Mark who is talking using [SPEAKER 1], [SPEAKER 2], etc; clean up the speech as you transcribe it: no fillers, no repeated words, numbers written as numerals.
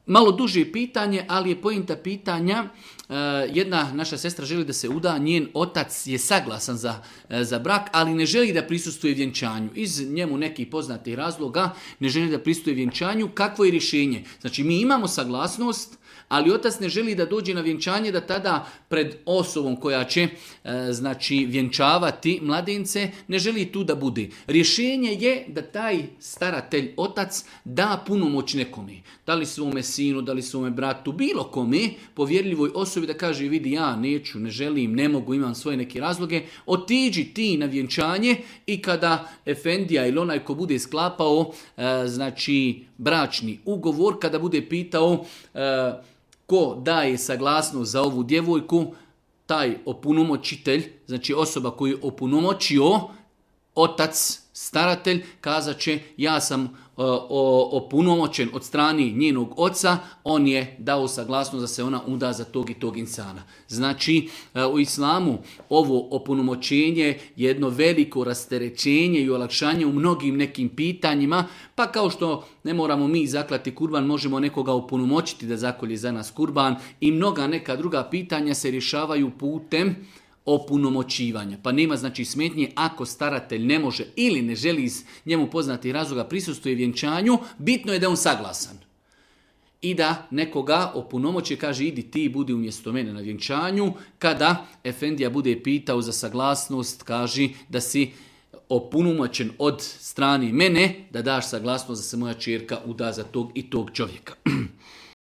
[SPEAKER 1] malo duže pitanje, ali je pointa pitanja. Jedna naša sestra želi da se uda, njen otac je saglasan za brak, ali ne želi da prisustvuje vjenčanju. Iz njemu nekih poznatih razloga ne želi da prisustvuje vjenčanju. Kakvo je rješenje? Znači mi imamo saglasnost, ali otac ne želi da dođe na vjenčanje, da tada pred osobom koja će vjenčavati mladence, ne želi tu da bude. Rješenje je da taj staratelj, otac, da punomoć nekome. Da li svome sinu, da li svome bratu, bilo kome, povjerljivoj osobi da kaže vidi ja neću, ne želim, ne mogu, imam svoje neke razloge, otiđi ti na vjenčanje i kada efendija ili onaj ko bude sklapao bračni ugovor, kada bude pitao ko daje saglasnost za ovu djevojku, taj opunomoćitelj, znači osoba koju je opunomoćio, otac, staratelj, kazat će ja sam opunomoćen od strani njenog oca, on je dao saglasnost da se ona uda za tog i tog insana. Znači, u islamu ovo opunomoćenje je jedno veliko rasterećenje i olakšanje u mnogim nekim pitanjima, pa kao što ne moramo mi zaklati kurban, možemo nekoga opunomoćiti da zakolje za nas kurban i mnoga neka druga pitanja se rješavaju putem opunomoćivanja. Pa nema smetnje ako staratelj ne može ili ne želi iz njemu poznatih razloga prisustvuje vjenčanju, bitno je da on saglasan. I da nekoga opunomoći kaže idi ti budi umjesto mene na vjenčanju. Kada efendija bude pitao za saglasnost, kaži da si opunomoćen od strane mene, da daš saglasnost da se moja ćerka uda za tog i tog čovjeka.